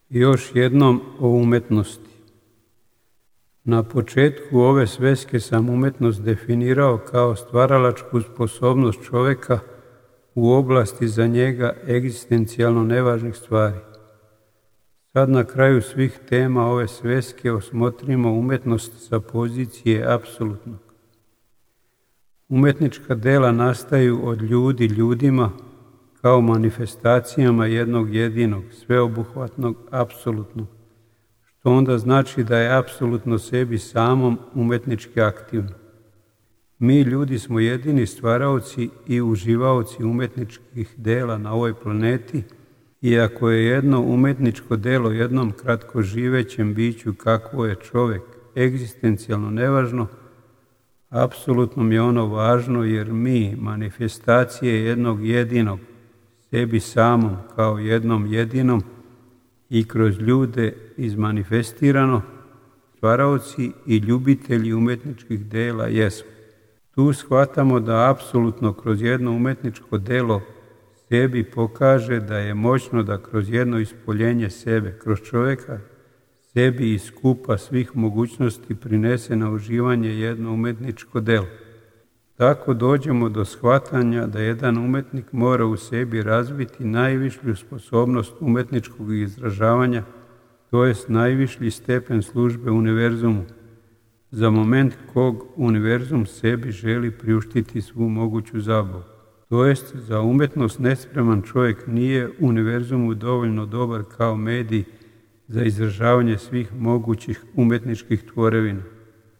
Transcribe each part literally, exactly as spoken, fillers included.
Još jednom o umetnosti. Na početku ove sveske sam umetnost definirao kao stvaralačku sposobnost čovjeka u oblasti za njega egzistencijalno nevažnih stvari. Sad na kraju svih tema ove sveske osmotrimo umetnost sa pozicije apsolutnog. Umetnička dela nastaju od ljudi ljudima kao manifestacijama jednog jedinog, sveobuhvatnog, apsolutnog, što onda znači da je apsolutno sebi samom umetnički aktivno. Mi ljudi smo jedini stvaraoci i uživaoci umetničkih dela na ovoj planeti, iako je jedno umetničko delo jednom kratko živećem biću kakvo je čovjek egzistencijalno nevažno, apsolutno mi je ono važno jer mi, manifestacije jednog jedinog, sebi samom kao jednom jedinom i kroz ljude izmanifestirano, stvaraoci i ljubitelji umetničkih dela jesmo. Tu shvatamo da apsolutno kroz jedno umetničko delo sebi pokaže da je moćno da kroz jedno ispoljenje sebe, kroz čovjeka, sebi iz skupa svih mogućnosti prinese na uživanje jedno umetničko delo. Tako dođemo do shvatanja da jedan umetnik mora u sebi razviti najvišlju sposobnost umetničkog izražavanja, to jest najvišlji stepen službe univerzumu, za moment kog univerzum sebi želi priuštiti svu moguću zabavu. To jest, za umetnost nespreman čovjek nije univerzumu dovoljno dobar kao medij za izražavanje svih mogućih umetničkih tvorevina,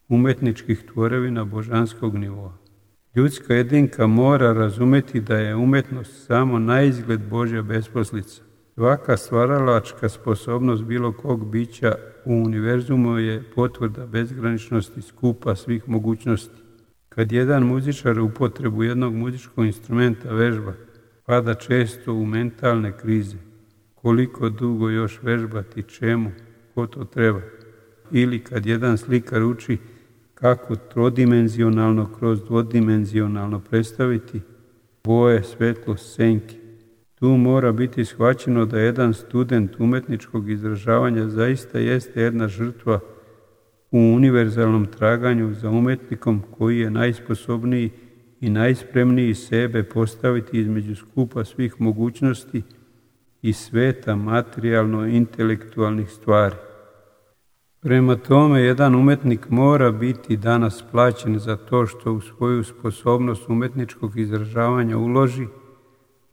umetničkih tvorevina božanskog nivoa. Ljudska jedinka mora razumjeti da je umetnost samo naizgled Božja besposlica. Svaka stvaralačka sposobnost bilo kog bića u univerzumu je potvrda bezgraničnosti skupa svih mogućnosti. Kad jedan muzičar upotrebu jednog muzičkog instrumenta vežba, pada često u mentalne krize. Koliko dugo još vežbati, čemu, ko to treba? Ili kad jedan slikar uči kako trodimenzionalno kroz dvodimenzionalno predstaviti boje, svetlost, senke. Tu mora biti shvaćeno da jedan student umetničkog izražavanja zaista jeste jedna žrtva u univerzalnom traganju za umetnikom koji je najsposobniji i najspremniji sebe postaviti između skupa svih mogućnosti i sveta materijalno-intelektualnih stvari. Prema tome, jedan umetnik mora biti danas plaćen za to što u svoju sposobnost umetničkog izražavanja uloži,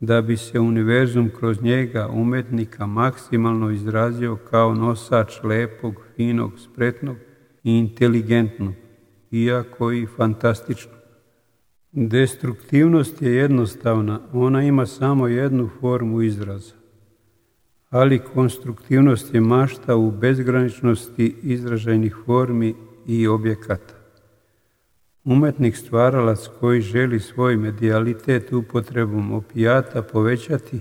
da bi se univerzum kroz njega umetnika maksimalno izrazio kao nosač lepog, finog, spretnog i inteligentnog, iako i fantastičnog. Destruktivnost je jednostavna, ona ima samo jednu formu izraza, ali konstruktivnost je mašta u bezgraničnosti izražajnih formi i objekata. Umetnik stvaralac koji želi svoj medijalitet upotrebom opijata povećati,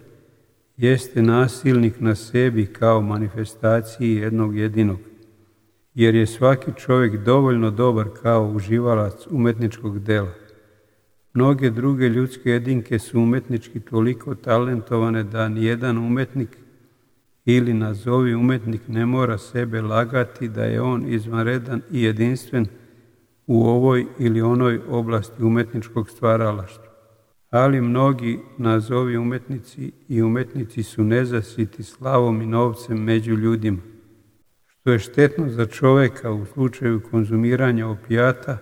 jeste nasilnik na sebi kao manifestaciji jednog jedinog, jer je svaki čovjek dovoljno dobar kao uživalac umetničkog dela. Mnoge druge ljudske jedinke su umetnički toliko talentovane da nijedan umetnik ili nazovi umetnik ne mora sebe lagati da je on izvanredan i jedinstven u ovoj ili onoj oblasti umetničkog stvaralaštva. Ali mnogi nazovi umetnici i umetnici su nezasiti slavom i novcem među ljudima, što je štetno za čovjeka u slučaju konzumiranja opijata,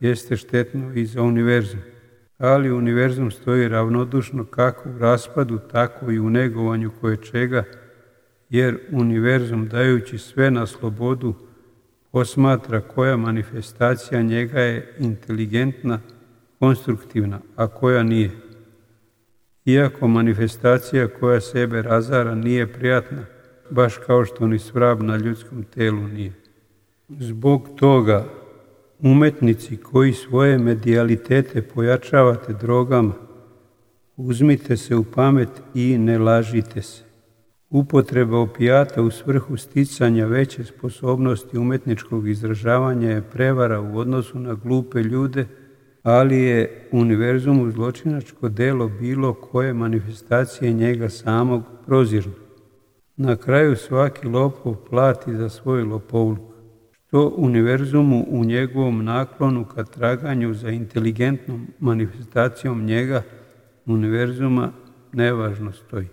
jeste štetno i za univerzum. Ali univerzum stoji ravnodušno kako u raspadu, tako i u negovanju koje čega, jer univerzum dajući sve na slobodu posmatra koja manifestacija njega je inteligentna, konstruktivna, a koja nije. Iako manifestacija koja sebe razara nije prijatna, baš kao što ni svrab na ljudskom telu nije. Zbog toga, umetnici koji svoje medijalitete pojačavate drogama, uzmite se u pamet i ne lažite se. Upotreba opijata u svrhu sticanja veće sposobnosti umetničkog izražavanja je prevara u odnosu na glupe ljude, ali je univerzumu zločinačko delo bilo koje manifestacije njega samog prozirno. Na kraju svaki lopov plati za svoj lopovluk, što univerzumu u njegovom naklonu ka traganju za inteligentnom manifestacijom njega univerzuma nevažno stoji.